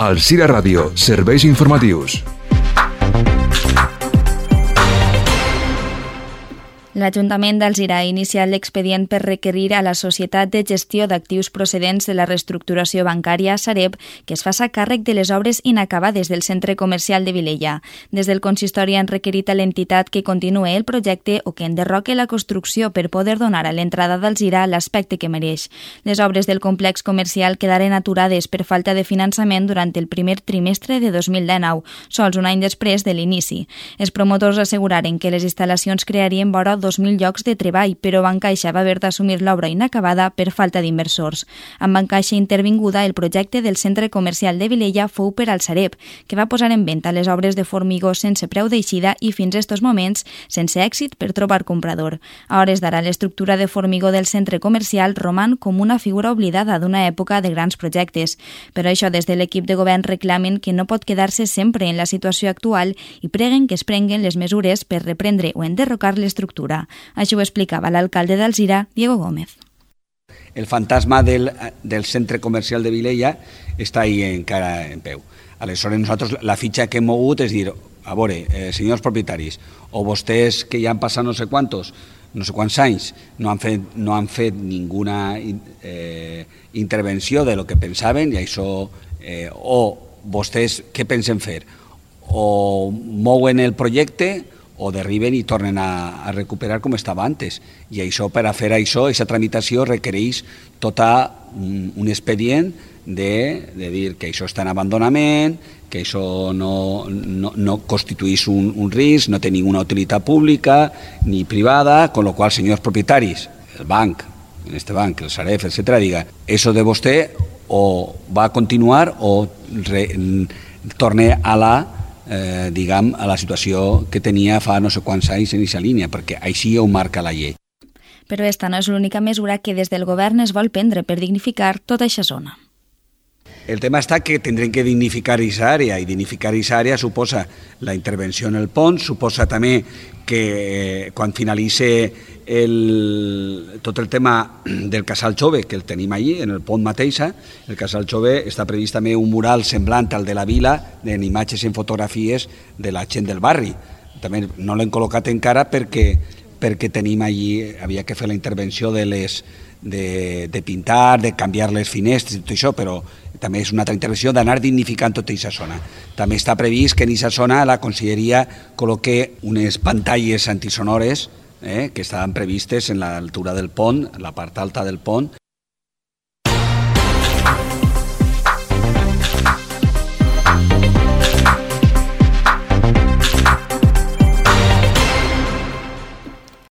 Alzira Ràdio, serveis informatius. L'Ajuntament d'Alzira ha iniciat l'expedient per requerir a la Societat de Gestió d'Actius Procedents de la Reestructuració Bancària, Sareb, que es faça càrrec de les obres inacabades del centre comercial de Vilella. Des del consistori han requerit a l'entitat que continuï el projecte o que enderroque la construcció per poder donar a l'entrada d'Alzira l'aspecte que mereix. Les obres del complex comercial quedaren aturades per falta de finançament durant el primer trimestre de 2019, sols un any després de l'inici. Els promotors asseguraren que les instal·lacions crearien vora 2.000 llocs de treball, però Bancaixa va haver d'assumir l'obra inacabada per falta d'inversors. Amb Bancaixa intervinguda, el projecte del centre comercial de Vilella fou per al Sareb, que va posar en venda les obres de formigó sense preu d'eixida i fins a estos moments sense èxit per trobar comprador. A hores d'ara, l'estructura de formigó del centre comercial roman com una figura oblidada d'una època de grans projectes. Per això, des de l'equip de govern reclamen que no pot quedar-se sempre en la situació actual i preguen que es prenguen les mesures per reprendre o enderrocar l'estructura. Això ho explicava l'alcalde d'Alzira, Diego Gómez. El fantasma del centre comercial de Vilella està ahí encara en peu. Aleshores, nosaltres la fitxa que hem mogut és dir, a veure, senyors propietaris, o vostès que ja han passat no sé quants anys, no han fet ninguna intervenció de lo que pensaven, i això, o vostès què pensen fer? O mouen el projecte o derriben i tornen a recuperar com estava antes. I això, per a fer això, aquesta tramitació requereix tot un expedient de dir que això està en abandonament, que això no constitueix un risc, no té ninguna utilitat pública ni privada, con lo qual, senyors propietaris, el banc, en este banc, el Sareb, etc., diga, eso de vostè o va a continuar o torne a la situació que tenia fa no sé quants anys en aquesta línia, perquè així ho marca la llei. Però esta no és l'única mesura que des del govern es vol prendre per dignificar tota aquesta zona. El tema està que tindrem que dignificar aquesta àrea, i dignificar aquesta àrea suposa la intervenció en el pont, suposa també que quan finalitzi tot el tema del Casal Jove, que el tenim allí, en el pont mateix, el Casal Jove està previst també un mural semblant al de la vila, en imatges i en fotografies de la gent del barri. També no l'hem col·locat encara perquè tenim allí, havia que fer la intervenció de pintar, de canviar les finestres i tot això, però també és una altra intervenció d'anar dignificant tota aquesta zona. També està previst que en aquesta zona la conselleria col·loque unes pantalles antisonores que estaven previstes en l'altura del pont, la part alta del pont,